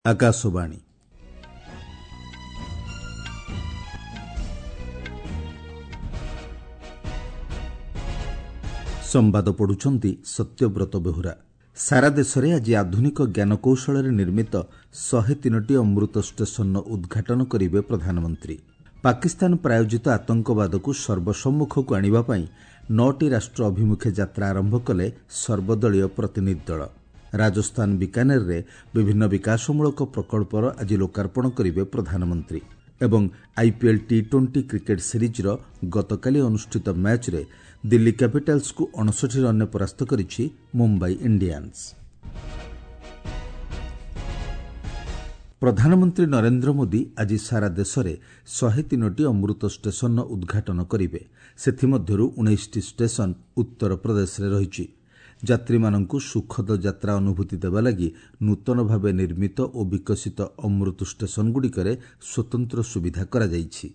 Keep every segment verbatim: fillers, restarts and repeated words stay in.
ଆକାଶବାଣୀ। ସମ୍ବାଦ ପଢୁଛନ୍ତି ସତ୍ୟବ୍ରତ ବେହୁରା। ସାରା ଦେଶରେ ଆଜି ଆଧୁନିକ ଜ୍ଞାନକୌଶଳରେ ନିର୍ମିତ ଶହେ ତିନୋଟି ଅମୃତ ଷ୍ଟେସନର ଉଦ୍ଘାଟନ କରିବେ ପ୍ରଧାନମନ୍ତ୍ରୀ। ପାକିସ୍ତାନ ପ୍ରାୟୋଜିତ ଆତଙ୍କବାଦକୁ ସର୍ବସମ୍ମୁଖକୁ ଆଣିବା ପାଇଁ ନଅଟି ରାଷ୍ଟ୍ର ଅଭିମୁଖେ ଯାତ୍ରା ଆରମ୍ଭ କଲେ ସର୍ବଦଳୀୟ ପ୍ରତିନିଧି ଦଳ। ରାଜସ୍ଥାନ ବିକାନେରରେ ବିଭିନ୍ନ ବିକାଶମୂଳକ ପ୍ରକଳ୍ପର ଆଜି ଲୋକାର୍ପଣ କରିବେ ପ୍ରଧାନମନ୍ତ୍ରୀ। ଏବଂ ଆଇପିଏଲ୍ ଟି ଟ୍ୱେଣ୍ଟି କ୍ରିକେଟ୍ ସିରିଜ୍ର ଗତକାଲି ଅନୁଷ୍ଠିତ ମ୍ୟାଚ୍ରେ ଦିଲ୍ଲୀ କ୍ୟାପିଟାଲ୍ସକୁ ଅଣଷଠି ରନ୍ରେ ପରାସ୍ତ କରିଛି ମୁମ୍ବାଇ ଇଣ୍ଡିଆନ୍ସ। ପ୍ରଧାନମନ୍ତ୍ରୀ ନରେନ୍ଦ୍ର ମୋଦି ଆଜି ସାରା ଦେଶରେ ଶହେ ତିନୋଟି ଅମୃତ ଷ୍ଟେସନର ଉଦ୍ଘାଟନ କରିବେ। ସେଥିମଧ୍ୟରୁ ଉଣେଇଶଟି ଷ୍ଟେସନ ଉତ୍ତର ପ୍ରଦେଶରେ ରହିଛି। ଯାତ୍ରୀମାନଙ୍କୁ ସୁଖଦ ଯାତ୍ରା ଅନୁଭୂତି ଦେବା ଲାଗି ନୂତନ ଭାବେ ନିର୍ମିତ ଓ ବିକଶିତ ଅମୃତ ଷ୍ଟେସନଗୁଡ଼ିକରେ ସ୍ୱତନ୍ତ୍ର ସୁବିଧା କରାଯାଇଛି।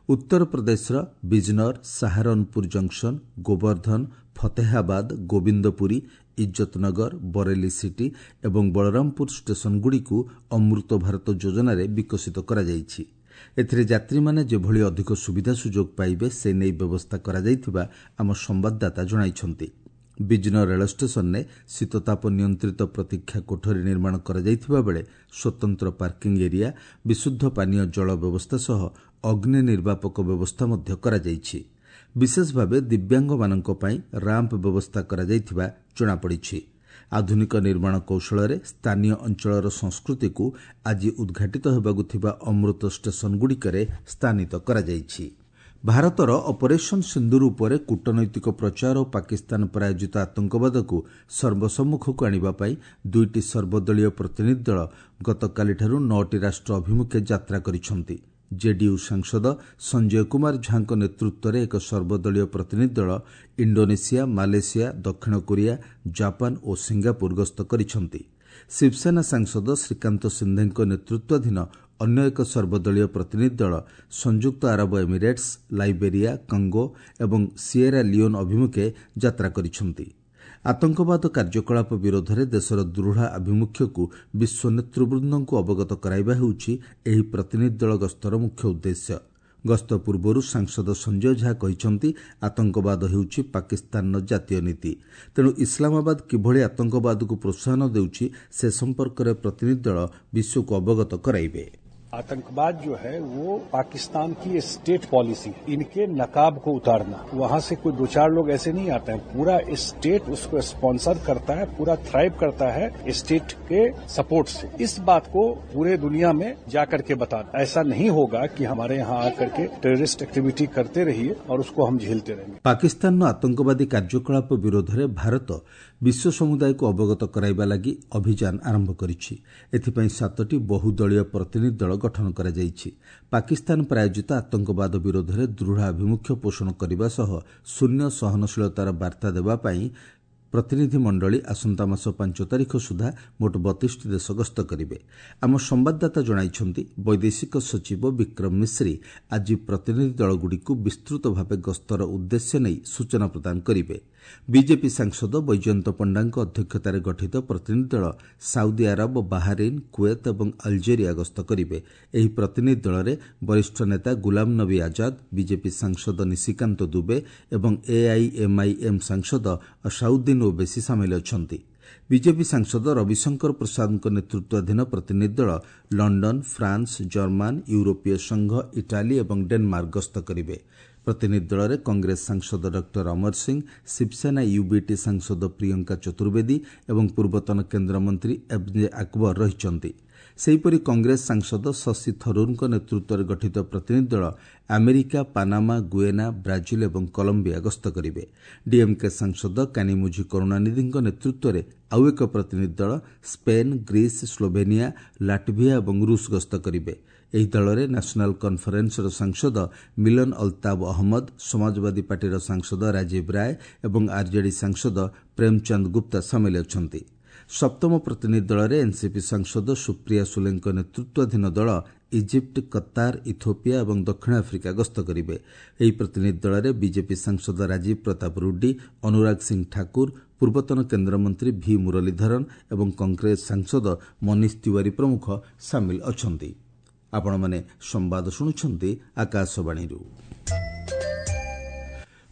ଉତ୍ତର ପ୍ରଦେଶର ବିଜନର, ସାହାରନପୁର ଜଙ୍କସନ, ଗୋବର୍ଦ୍ଧନ, ଫତେହାବାଦ, ଗୋବିନ୍ଦପୁରୀ, ଇଜ୍ଜତନଗର, ବରେଲି ସିଟି ଏବଂ ବଳରାମପୁର ଷ୍ଟେସନଗୁଡ଼ିକୁ ଅମୃତ ଭାରତ ଯୋଜନାରେ ବିକଶିତ କରାଯାଇଛି। ଏଥିରେ ଯାତ୍ରୀମାନେ ଯେଭଳି ଅଧିକ ସୁବିଧା ସୁଯୋଗ ପାଇବେ ସେ ନେଇ ବ୍ୟବସ୍ଥା କରାଯାଇଥିବା ଆମ ସମ୍ବାଦଦାତା ଜଣାଇଛନ୍ତି। ବିଜନର ରେଳ ଷ୍ଟେସନରେ ଶୀତତାପ ନିୟନ୍ତ୍ରିତ ପ୍ରତୀକ୍ଷା କୋଠରୀ ନିର୍ମାଣ କରାଯାଇଥିବା ବେଳେ ସ୍ୱତନ୍ତ୍ର ପାର୍କିଂ ଏରିଆ, ବିଶୁଦ୍ଧ ପାନୀୟ ଜଳ ବ୍ୟବସ୍ଥା ସହ ଅଗ୍ନି ନିର୍ବାପକ ବ୍ୟବସ୍ଥା ମଧ୍ୟ କରାଯାଇଛି। ବିଶେଷ ଭାବେ ଦିବ୍ୟାଙ୍ଗମାନଙ୍କ ପାଇଁ ରାମ୍ପ ବ୍ୟବସ୍ଥା କରାଯାଇଥିବା ଜଣାପଡ଼ିଛି। ଆଧୁନିକ ନିର୍ମାଣ କୌଶଳରେ ସ୍ଥାନୀୟ ଅଞ୍ଚଳର ସଂସ୍କୃତିକୁ ଆଜି ଉଦ୍ଘାଟିତ ହେବାକୁ ଥିବା ଅମୃତ ଷ୍ଟେସନଗୁଡ଼ିକରେ ସ୍ଥାନିତ କରାଯାଇଛି। ଭାରତର ଅପରେସନ୍ ସିନ୍ଦୁର ଉପରେ କୂଟନୈତିକ ପ୍ରଚାର ଓ ପାକିସ୍ତାନ ପ୍ରାୟୋଜିତ ଆତଙ୍କବାଦକୁ ସର୍ବସମ୍ମୁଖକୁ ଆଣିବା ପାଇଁ ଦୁଇଟି ସର୍ବଦଳୀୟ ପ୍ରତିନିଧି ଦଳ ଗତକାଲିଠାରୁ ନଅଟି ରାଷ୍ଟ୍ର ଅଭିମୁଖେ ଯାତ୍ରା କରିଛନ୍ତି। ଜେଡିୟୁ ସାଂସଦ ସଞ୍ଜୟ କୁମାର ଝାଙ୍କ ନେତୃତ୍ୱରେ ଏକ ସର୍ବଦଳୀୟ ପ୍ରତିନିଧି ଦଳ ଇଣ୍ଡୋନେସିଆ, ମାଲେସିଆ, ଦକ୍ଷିଣ କୋରିଆ, ଜାପାନ ଓ ସିଙ୍ଗାପୁର ଗସ୍ତ କରିଛନ୍ତି। ଶିବସେନା ସାଂସଦ ଶ୍ରୀକାନ୍ତ ସିନ୍ଧେଙ୍କ ନେତୃତ୍ୱାଧୀନ ଅନ୍ୟ ଏକ ସର୍ବଦଳୀୟ ପ୍ରତିନିଧି ଦଳ ସଂଯୁକ୍ତ ଆରବ ଏମିରେଟ୍ସ, ଲାଇବେରିଆ, କଙ୍ଗୋ ଏବଂ ସିଏରା ଲିଓନ୍ ଅଭିମୁଖେ ଯାତ୍ରା କରିଛନ୍ତି। ଆତଙ୍କବାଦ କାର୍ଯ୍ୟକଳାପ ବିରୋଧରେ ଦେଶର ଦୃଢ଼ ଆଭିମୁଖ୍ୟକୁ ବିଶ୍ୱ ନେତୃବୃନ୍ଦଙ୍କୁ ଅବଗତ କରାଇବା ହେଉଛି ଏହି ପ୍ରତିନିଧି ଦଳ ଗସ୍ତର ମୁଖ୍ୟ ଉଦ୍ଦେଶ୍ୟ। ଗସ୍ତ ପୂର୍ବରୁ ସାଂସଦ ସଞ୍ଜୟ ଝା କହିଛନ୍ତି, ଆତଙ୍କବାଦ ହେଉଛି ପାକିସ୍ତାନର ଜାତୀୟ ନୀତି। ତେଣୁ ଇସଲାମାବାଦ କିଭଳି ଆତଙ୍କବାଦକୁ ପ୍ରୋତ୍ସାହନ ଦେଉଛି ସେ ସମ୍ପର୍କରେ ପ୍ରତିନିଧି ଦଳ ବିଶ୍ୱକୁ ଅବଗତ କରାଇବେ। आतंकवाद जो है वो पाकिस्तान की स्टेट पॉलिसी, इनके नकाब को उतारना। वहां से कोई दो चार लोग ऐसे नहीं आते हैं, पूरा स्टेट उसको स्पॉन्सर करता है, पूरा थ्राइव करता है स्टेट के सपोर्ट से। इस बात को पूरे दुनिया में जाकर के बताना, ऐसा नहीं होगा कि हमारे यहाँ आकर के टेररिस्ट एक्टिविटी करते रहिए और उसको हम झेलते रहेंगे। ପାକିସ୍ତାନର ଆତଙ୍କବାଦୀ କାର୍ଯ୍ୟକଳାପ ବିରୋଧରେ ଭାରତ ବିଶ୍ୱ ସମୁଦାୟକୁ ଅବଗତ କରାଇବା ଲାଗି ଅଭିଯାନ ଆରମ୍ଭ କରିଛି। ଏଥିପାଇଁ ସାତଟି ବହୁଦଳୀୟ ପ୍ରତିନିଧି ଦଳ ଗଠନ କରାଯାଇଛି। ପାକିସ୍ତାନ ପ୍ରାୟୋଜିତ ଆତଙ୍କବାଦ ବିରୋଧରେ ଦୃଢ଼ ଆଭିମୁଖ୍ୟ ପୋଷଣ କରିବା ସହ ଶୂନ୍ୟ ସହନଶୀଳତାର ବାର୍ତ୍ତା ଦେବା ପାଇଁ ପ୍ରତିନିଧି ମଣ୍ଡଳୀ ଆସନ୍ତା ମାସ ପାଞ୍ଚ ତାରିଖ ସୁଦ୍ଧା ମୋଟ ବତିଶଟି ଦେଶ ଗସ୍ତ କରିବେ। ଆମ ସମ୍ବାଦଦାତା ଜଣାଇଛନ୍ତି, ବୈଦେଶିକ ସଚିବ ବିକ୍ରମ ମିଶ୍ରି ଆଜି ପ୍ରତିନିଧି ଦଳଗୁଡ଼ିକୁ ବିସ୍ତୃତ ଭାବେ ଗସ୍ତର ଉଦ୍ଦେଶ୍ୟ ନେଇ ସୂଚନା ପ୍ରଦାନ କରିବେ। ବିଜେପି ସାଂସଦ ବୈଜୟନ୍ତ ପଣ୍ଡାଙ୍କ ଅଧ୍ୟକ୍ଷତାରେ ଗଠିତ ପ୍ରତିନିଧି ଦଳ ସାଉଦି ଆରବ, ବାହାରିନ୍, କୁଏତ ଏବଂ ଆଲଜେରିଆ ଗସ୍ତ କରିବେ। ଏହି ପ୍ରତିନିଧି ଦଳରେ ବରିଷ୍ଠ ନେତା ଗୁଲାମ ନବୀ ଆଜାଦ, ବିଜେପି ସାଂସଦ ନିଶିକାନ୍ତ ଦୁବେ ଏବଂ ଏଆଇଏମ୍ଆଇଏମ୍ ସାଂସଦ ଅସାଉଦ୍ଦିନ ଓବେସି ସାମିଲ ଅଛନ୍ତି। ବିଜେପି ସାଂସଦ ରବିଶଙ୍କର ପ୍ରସାଦଙ୍କ ନେତୃତ୍ୱାଧୀନ ପ୍ରତିନିଧି ଦଳ ଲଣ୍ଡନ, ଫ୍ରାନ୍ସ, ଜର୍ମାନ, ୟୁରୋପୀୟ ସଂଘ, ଇଟାଲୀ ଏବଂ ଡେନମାର୍କ ଗସ୍ତ କରିବେ। ପ୍ରତିନିଧି ଦଳରେ କଂଗ୍ରେସ ସାଂସଦ ଡକ୍ଟର ଅମର ସିଂ, ଶିବସେନା ୟୁବିଟି ସାଂସଦ ପ୍ରିୟଙ୍କା ଚତୁର୍ବେଦୀ ଏବଂ ପୂର୍ବତନ କେନ୍ଦ୍ରମନ୍ତ୍ରୀ ଏମ୍ ଜେ ଆକବର ରହିଛନ୍ତି। ସେହିପରି କଂଗ୍ରେସ ସାଂସଦ ଶଶି ଥରୁରଙ୍କ ନେତୃତ୍ୱରେ ଗଠିତ ପ୍ରତିନିଧି ଦଳ ଆମେରିକା, ପାନାମା, ଗୁଏନା, ବ୍ରାଜିଲ ଏବଂ କଲମ୍ବିଆ ଗସ୍ତ କରିବେ। ଡିଏମ୍କେ ସାଂସଦ କାନିମୁଝି କରୁଣାନିଧିଙ୍କ ନେତୃତ୍ୱରେ ଆଉ ଏକ ପ୍ରତିନିଧି ଦଳ ସ୍ପେନ୍, ଗ୍ରୀସ୍, ସ୍ଲୋଭେନିଆ, ଲାଟଭିଆ ଏବଂ ରୁଷ ଗସ୍ତ କରିବେ। ଏହି ଦଳରେ ନ୍ୟାସନାଲ୍ କନ୍ଫରେନ୍ସର ସାଂସଦ ମିଲନ ଅଲ୍ତାବ ଅହମ୍ମଦ, ସମାଜବାଦୀ ପାର୍ଟିର ସାଂସଦ ରାଜୀବ ରାୟ ଏବଂ ଆର୍ଜେଡି ସାଂସଦ ପ୍ରେମଚାନ୍ଦ ଗୁପ୍ତା ସାମିଲ ଅଛନ୍ତି। ସପ୍ତମ ପ୍ରତିନିଧି ଦଳରେ ଏନ୍ସିପି ସାଂସଦ ସୁପ୍ରିୟା ସୁଲେଙ୍କ ନେତୃତ୍ୱାଧୀନ ଦଳ ଇଜିପ୍ଟ, କତାର, ଇଥୋପିଆ ଏବଂ ଦକ୍ଷିଣ ଆଫ୍ରିକା ଗସ୍ତ କରିବେ। ଏହି ପ୍ରତିନିଧି ଦଳରେ ବିଜେପି ସାଂସଦ ରାଜୀବ ପ୍ରତାପ ରୁଡି, ଅନୁରାଗ ସିଂ ଠାକୁର, ପୂର୍ବତନ କେନ୍ଦ୍ରମନ୍ତ୍ରୀ ଭି ମୁରଲୀଧରନ୍ ଏବଂ କଂଗ୍ରେସ ସାଂସଦ ମନୀଷ ତିୱାରୀ ପ୍ରମୁଖ ସାମିଲ ଅଛନ୍ତି। ଆପଣମାନେ ସମ୍ବାଦ ଶୁଣୁଛନ୍ତି ଆକାଶବାଣୀରୁ।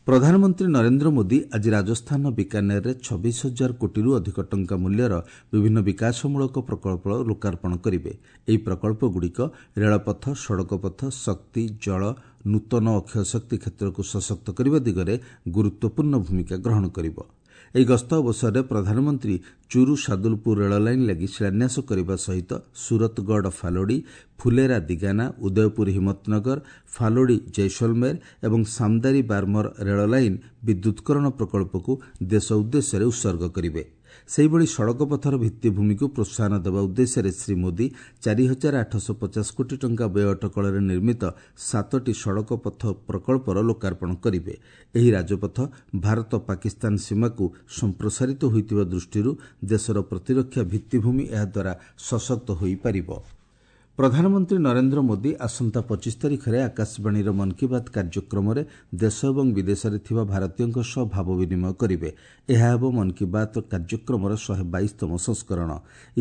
ପ୍ରଧାନମନ୍ତ୍ରୀ ନରେନ୍ଦ୍ର ମୋଦି ଆଜି ରାଜସ୍ଥାନର ବିକାନେରରେ ଛବିଶ ହଜାର କୋଟିରୁ ଅଧିକ ଟଙ୍କା ମୂଲ୍ୟର ବିଭିନ୍ନ ବିକାଶମୂଳକ ପ୍ରକଳ୍ପ ଲୋକାର୍ପଣ କରିବେ। ଏହି ପ୍ରକଳ୍ପଗୁଡ଼ିକ ରେଳପଥ, ସଡ଼କପଥ, ଶକ୍ତି, ଜଳ, ନୂତନ ଅକ୍ଷୟ ଶକ୍ତି କ୍ଷେତ୍ରକୁ ସଶକ୍ତ କରିବା ଦିଗରେ ଗୁରୁତ୍ୱପୂର୍ଣ୍ଣ ଭୂମିକା ଗ୍ରହଣ କରିବ। ଏହି ଗସ୍ତ ଅବସରରେ ପ୍ରଧାନମନ୍ତ୍ରୀ ଚୁରୁ ସାଦୁଲପୁର ରେଳ ଲାଇନ୍ ଲାଗି ଶିଳାନ୍ୟାସ କରିବା ସହିତ ସୁରତଗଡ଼ ଫାଲୋଡ଼ି, ଫୁଲେରା ଦିଗାନା, ଉଦୟପୁର ହିମ୍ମତନଗର, ଫାଲୋଡ଼ି ଜୈସଲମେର ଏବଂ ସାମଦାରୀ ବାର୍ମର ରେଳ ଲାଇନ୍ ବିଦ୍ୟୁତ୍କରଣ ପ୍ରକଳ୍ପକୁ ଦେଶ ଉଦ୍ଦେଶ୍ୟରେ ଉତ୍ସର୍ଗ କରିବେ। ସେହିଭଳି ସଡ଼କପଥର ଭିତ୍ତିଭୂମିକୁ ପ୍ରୋତ୍ସାହନ ଦେବା ଉଦ୍ଦେଶ୍ୟରେ ଶ୍ରୀ ମୋଦି ଚାରି ହଜାର ଆଠଶହ ପଚାଶ କୋଟି ଟଙ୍କା ବ୍ୟୟ ଅଟକଳରେ ନିର୍ମିତ ସାତଟି ସଡ଼କ ପଥ ପ୍ରକଳ୍ପର ଲୋକାର୍ପଣ କରିବେ। ଏହି ରାଜପଥ ଭାରତ ପାକିସ୍ତାନ ସୀମାକୁ ସମ୍ପ୍ରସାରିତ ହୋଇଥିବା ଦୃଷ୍ଟିରୁ ଦେଶର ପ୍ରତିରକ୍ଷା ଭିତ୍ତିଭୂମି ଏହାଦ୍ୱାରା ସଶକ୍ତ ହୋଇପାରିବ। ପ୍ରଧାନମନ୍ତ୍ରୀ ନରେନ୍ଦ୍ର ମୋଦି ଆସନ୍ତା ପଚିଶ ତାରିଖରେ ଆକାଶବାଣୀର ମନ୍ କି ବାତ୍ କାର୍ଯ୍ୟକ୍ରମରେ ଦେଶ ଏବଂ ବିଦେଶରେ ଥିବା ଭାରତୀୟଙ୍କ ସହ ଭାବ ବିନିମୟ କରିବେ। ଏହା ହେବ ମନ୍ କି ବାତ୍ କାର୍ଯ୍ୟକ୍ରମର ଶହେ ବାଇଶତମ ସଂସ୍କରଣ।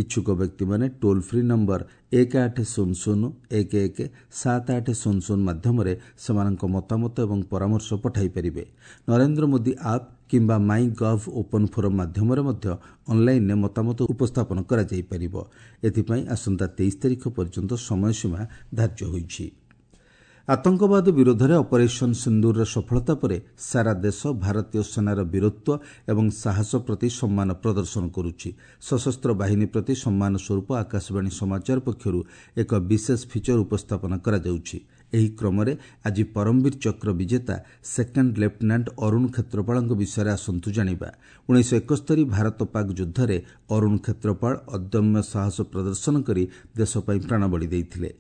ଇଚ୍ଛୁକ ବ୍ୟକ୍ତିମାନେ ଟୋଲ୍ ଫ୍ରି ନମ୍ବର ଏକ ଆଠ ଶୂନ ଶୂନ ଏକ ଏକ ସାତ ଆଠ ଶୂନ ଶୂନ ମାଧ୍ୟମରେ ସେମାନଙ୍କ ମତାମତ ଏବଂ ପରାମର୍ଶ ପଠାଇ ପାରିବେ। ନରେନ୍ଦ୍ର ମୋଦି ଆପ୍ କିମ୍ବା ମାଇ ଗଭ୍ ଓପନ୍ ଫୋରମ୍ ମାଧ୍ୟମରେ ମଧ୍ୟ ଅନ୍ଲାଇନ୍ରେ ମତାମତ ଉପସ୍ଥାପନ କରାଯାଇପାରିବ। ଏଥିପାଇଁ ଆସନ୍ତା ତେଇଶ ତାରିଖ ପର୍ଯ୍ୟନ୍ତ ସମୟସୀମା ଧାର୍ଯ୍ୟ ହୋଇଛି। ଆତଙ୍କବାଦ ବିରୋଧରେ ଅପରେସନ୍ ସିନ୍ଦୁରର ସଫଳତା ପରେ ସାରା ଦେଶ ଭାରତୀୟ ସେନାର ବୀରତ୍ୱ ଏବଂ ସାହସ ପ୍ରତି ସମ୍ମାନ ପ୍ରଦର୍ଶନ କରୁଛି। ସଶସ୍ତ୍ର ବାହିନୀ ପ୍ରତି ସମ୍ମାନ ସ୍ୱରୂପ ଆକାଶବାଣୀ ସମାଚାର ପକ୍ଷରୁ ଏକ ବିଶେଷ ଫିଚର ଉପସ୍ଥାପନା କରାଯାଉଛି। ଏହି କ୍ରମରେ ଆଜି ପରମବୀର ଚକ୍ର ବିଜେତା ସେକେଣ୍ଡ ଲେଫ୍ଟନାଣ୍ଟ ଅରୁଣ କ୍ଷେତ୍ରପାଳଙ୍କ ବିଷୟରେ ଆସନ୍ତୁ ଜାଣିବା। ଉଣେଇଶହ ଏକସ୍ତରୀ ଭାରତ ପାକ୍ ଯୁଦ୍ଧରେ ଅରୁଣ କ୍ଷେତ୍ରପାଳ ଅଦମ୍ୟ ସାହସ ପ୍ରଦର୍ଶନ କରି ଦେଶ ପାଇଁ ପ୍ରାଣବଳି ଦେଇଥିଲେ।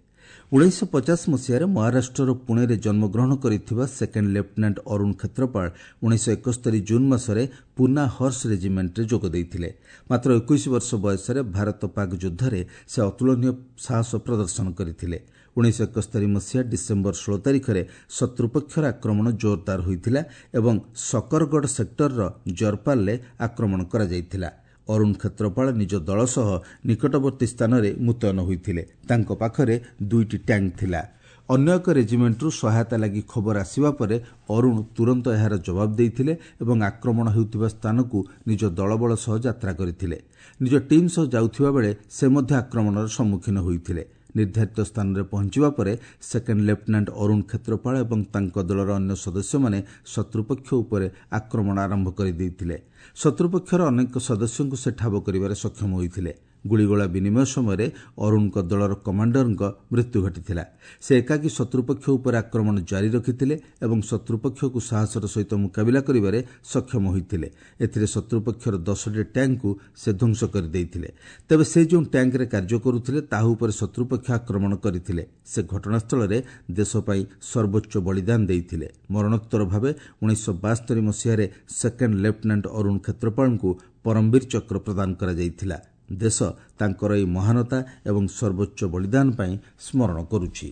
ଉଣେଇଶହ ପଚାଶ ମସିହାରେ ମହାରାଷ୍ଟ୍ରର ପୁଣେରେ ଜନ୍ମଗ୍ରହଣ କରିଥିବା ସେକେଣ୍ଡ ଲେଫ୍ଟନାଣ୍ଟ ଅରୁଣ କ୍ଷେତ୍ରପାଳ ଉଣେଇଶହ ଏକସ୍ତରୀ ଜୁନ୍ ମାସରେ ପୁନା ହର୍ସ ରେଜିମେଣ୍ଟରେ ଯୋଗ ଦେଇଥିଲେ। ମାତ୍ର ଏକୋଇଶ ବର୍ଷ ବୟସରେ ଭାରତ ପାକ୍ ଯୁଦ୍ଧରେ ସେ ଅତୁଳନୀୟ ସାହସ ପ୍ରଦର୍ଶନ କରିଥିଲେ। ଉଣେଇଶହ ଏକସ୍ତରୀ ମସିହା ଡିସେମ୍ବର ଷୋହଳ ତାରିଖରେ ଶତ୍ରୁପକ୍ଷର ଆକ୍ରମଣ ଜୋରଦାର ହୋଇଥିଲା ଏବଂ ଶକରଗଡ଼ ସେକ୍ଟରର ଜରପାଲରେ ଆକ୍ରମଣ କରାଯାଇଥିଲା। ଅରୁଣ କ୍ଷେତ୍ରପାଳ ନିଜ ଦଳ ସହ ନିକଟବର୍ତ୍ତୀ ସ୍ଥାନରେ ମୁତୟନ ହୋଇଥିଲେ। ତାଙ୍କ ପାଖରେ ଦୁଇଟି ଟ୍ୟାଙ୍କ ଥିଲା। ଅନ୍ୟ ଏକ ରେଜିମେଣ୍ଟରୁ ସହାୟତା ଲାଗି ଖବର ଆସିବା ପରେ ଅରୁଣ ତୁରନ୍ତ ଏହାର ଜବାବ ଦେଇଥିଲେ ଏବଂ ଆକ୍ରମଣ ହେଉଥିବା ସ୍ଥାନକୁ ନିଜ ଦଳବଳ ସହ ଯାତ୍ରା କରିଥିଲେ। ନିଜ ଟିମ୍ ସହ ଯାଉଥିବା ବେଳେ ସେ ମଧ୍ୟ ଆକ୍ରମଣର ସମ୍ମୁଖୀନ ହୋଇଥିଲେ। ନିର୍ଦ୍ଧାରିତ ସ୍ଥାନରେ ପହଞ୍ଚିବା ପରେ ସେକେଣ୍ଡ ଲେଫ୍ଟନାଣ୍ଟ ଅରୁଣ କ୍ଷେତ୍ରପାଳ ଏବଂ ତାଙ୍କ ଦଳର ଅନ୍ୟ ସଦସ୍ୟମାନେ ଶତ୍ରୁପକ୍ଷ ଉପରେ ଆକ୍ରମଣ ଆରମ୍ଭ କରିଦେଇଥିଲେ। ଶତ୍ରୁପକ୍ଷର ଅନେକ ସଦସ୍ୟଙ୍କୁ ସେ ଠାବ କରିବାରେ ସକ୍ଷମ ହୋଇଥିଲେ। ଗୁଳିଗୋଳା ବିନିମୟ ସମୟରେ ଅରୁଣଙ୍କ ଦଳର କମାଣ୍ଡରଙ୍କ ମୃତ୍ୟୁ ଘଟିଥିଲା। ସେ ଏକାକୀ ଶତ୍ରୁପକ୍ଷ ଉପରେ ଆକ୍ରମଣ ଜାରି ରଖିଥିଲେ ଏବଂ ଶତ୍ରୁପକ୍ଷକୁ ସାହସର ସହିତ ମୁକାବିଲା କରିବାରେ ସକ୍ଷମ ହୋଇଥିଲେ। ଏଥିରେ ଶତ୍ରୁପକ୍ଷର ଦଶଟି ଟ୍ୟାଙ୍କକୁ ସେ ଧ୍ୱଂସ କରିଦେଇଥିଲେ। ତେବେ ସେ ଯେଉଁ ଟ୍ୟାଙ୍କରେ କାର୍ଯ୍ୟ କରୁଥିଲେ ତାହା ଉପରେ ଶତ୍ରୁପକ୍ଷ ଆକ୍ରମଣ କରିଥିଲେ। ସେ ଘଟଣାସ୍ଥଳରେ ଦେଶ ପାଇଁ ସର୍ବୋଚ୍ଚ ବଳିଦାନ ଦେଇଥିଲେ। ମରଣୋତ୍ତର ଭାବେ ଉଣେଇଶହ ବାସ୍ତରି ମସିହାରେ ସେକେଣ୍ଡ ଲେଫ୍ଟନାଣ୍ଟ ଅରୁଣ କ୍ଷେତ୍ରପାଳଙ୍କୁ ପରମବୀର ଚକ୍ର ପ୍ରଦାନ କରାଯାଇଥିଲା। ଦେଶ ତାଙ୍କର ଏହି ମହାନତା ଏବଂ ସର୍ବୋଚ୍ଚ ବଳିଦାନ ପାଇଁ ସ୍ମରଣ କରୁଛି।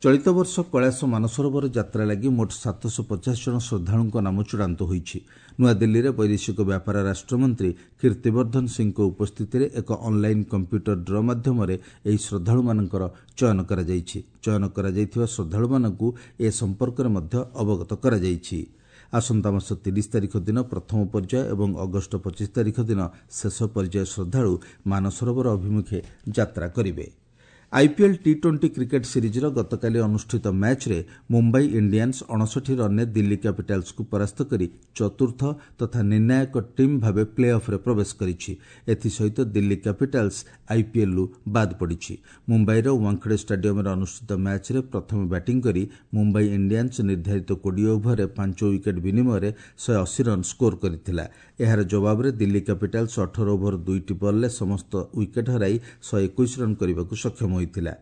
ଚଳିତ ବର୍ଷ କୈଳାସ ମାନସରୋବର ଯାତ୍ରା ଲାଗି ମୋଟ ସାତଶହ ପଚାଶ ଜଣ ଶ୍ରଦ୍ଧାଳୁଙ୍କ ନାମ ଚୂଡ଼ାନ୍ତ ହୋଇଛି। ନୂଆଦିଲ୍ଲୀରେ ବୈଦେଶିକ ବ୍ୟାପାର ରାଷ୍ଟ୍ରମନ୍ତ୍ରୀ କୀର୍ତ୍ତିବର୍ଦ୍ଧନ ସିଂଙ୍କ ଉପସ୍ଥିତିରେ ଏକ ଅନ୍ଲାଇନ୍ କମ୍ପ୍ୟୁଟର ଡ୍ର ମାଧ୍ୟମରେ ଏହି ଶ୍ରଦ୍ଧାଳୁମାନଙ୍କର ଚୟନ କରାଯାଇଛି। ଚୟନ କରାଯାଇଥିବା ଶ୍ରଦ୍ଧାଳୁମାନଙ୍କୁ ଏ ସମ୍ପର୍କରେ ମଧ୍ୟ ଅବଗତ କରାଯାଇଛି। ଆସନ୍ତା ମାସ ତିରିଶ ତାରିଖ ଦିନ ପ୍ରଥମ ପର୍ଯ୍ୟାୟ ଏବଂ ଅଗଷ୍ଟ ପଚିଶ ତାରିଖ ଦିନ ଶେଷ ପର୍ଯ୍ୟାୟ ଶ୍ରଦ୍ଧାଳୁ ମାନସରୋବର ଅଭିମୁଖେ ଯାତ୍ରା କରିବେ। ଆଇପିଏଲ୍ ଟି ଟ୍ୱେଣ୍ଟି କ୍ରିକେଟ୍ ସିରିଜ୍ର ଗତକାଲି ଅନୁଷ୍ଠିତ ମ୍ୟାଚ୍ରେ ମୁମ୍ବାଇ ଇଣ୍ଡିଆନ୍ସ ଅଣଷଠି ରନ୍ରେ ଦିଲ୍ଲୀ କ୍ୟାପିଟାଲ୍ସକୁ ପରାସ୍ତ କରି ଚତୁର୍ଥ ତଥା ନିର୍ଣ୍ଣାୟକ ଟିମ୍ ଭାବେ ପ୍ଲେ ଅଫ୍ରେ ପ୍ରବେଶ କରିଛି। ଏଥିସହିତ ଦିଲ୍ଲୀ କ୍ୟାପିଟାଲ୍ସ ଆଇପିଏଲ୍ରୁ ବାଦ୍ ପଡ଼ିଛି। ମୁମ୍ବାଇର ୱାଙ୍ଖଡ଼େ ଷ୍ଟାଡିୟମ୍ରେ ଅନୁଷ୍ଠିତ ମ୍ୟାଚ୍ରେ ପ୍ରଥମେ ବ୍ୟାଟିଂ କରି ମୁମ୍ବାଇ ଇଣ୍ଡିଆନ୍ସ ନିର୍ଦ୍ଧାରିତ କୋଡ଼ିଏ ଓଭରରେ ପାଞ୍ଚ ୱିକେଟ୍ ବିନିମୟରେ ଶହେ ଅଶୀ ରନ୍ ସ୍କୋର କରିଥିଲା। ଏହାର ଜବାବରେ ଦିଲ୍ଲୀ କ୍ୟାପିଟାଲ୍ସ ଅଠର ଓଭର ଦୁଇଟି ବଲ୍ରେ ସମସ୍ତ ୱିକେଟ୍ ହରାଇ ଶହେ ଏକୋଇଶ ରନ୍ କରିବାକୁ ସକ୍ଷମ ହୋଇଥିଲା।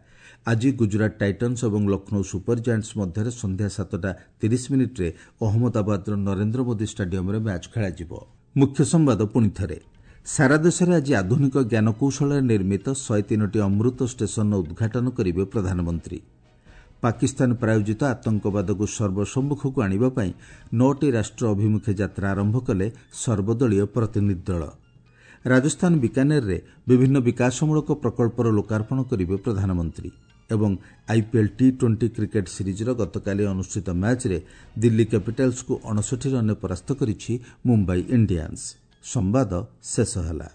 ଆଜି ଗୁଜରାଟ ଟାଇଟନ୍ସ ଏବଂ ଲକ୍ଷ୍ନୌ ସୁପର ଜାଏଣ୍ଟସ୍ ମଧ୍ୟରେ ସନ୍ଧ୍ୟା ସାତଟା ତିରିଶ ମିନିଟ୍ରେ ଅହମ୍ମଦାବାଦର ନରେନ୍ଦ୍ର ମୋଦି ଷ୍ଟାଡିୟମ୍ରେ ମ୍ୟାଚ୍ ଖେଳାଯିବ। ମୁଖ୍ୟ ସମ୍ବାଦ ପୁଣିଥରେ, ସାରା ଦେଶରେ ଆଜି ଆଧୁନିକ ଜ୍ଞାନକୌଶଳରେ ନିର୍ମିତ ଶହେ ତିନୋଟି ଅମୃତ ଷ୍ଟେସନର ଉଦ୍ଘାଟନ କରିବେ ପ୍ରଧାନମନ୍ତ୍ରୀ। ପାକିସ୍ତାନ ପ୍ରାୟୋଜିତ ଆତଙ୍କବାଦକୁ ସର୍ବସମ୍ମୁଖକୁ ଆଣିବା ପାଇଁ ନଅଟି ରାଷ୍ଟ୍ର ଅଭିମୁଖେ ଯାତ୍ରା ଆରମ୍ଭ କଲେ ସର୍ବଦଳୀୟ ପ୍ରତିନିଧି ଦଳ। ରାଜସ୍ଥାନ ବିକାନେରରେ ବିଭିନ୍ନ ବିକାଶମୂଳକ ପ୍ରକଳ୍ପର ଲୋକାର୍ପଣ କରିବେ ପ୍ରଧାନମନ୍ତ୍ରୀ। ଏବଂ ଆଇପିଏଲ୍ ଟି ଟ୍ୱେଣ୍ଟି କ୍ରିକେଟ୍ ସିରିଜ୍ର ଗତକାଲି ଅନୁଷ୍ଠିତ ମ୍ୟାଚ୍ରେ ଦିଲ୍ଲୀ କ୍ୟାପିଟାଲ୍ସକୁ ଅଣଷଠି ରନ୍ରେ ପରାସ୍ତ କରିଛି ମୁମ୍ବାଇ ଇଣ୍ଡିଆନ୍ସ। ସମ୍ବାଦ ଶେଷ ହେଲା।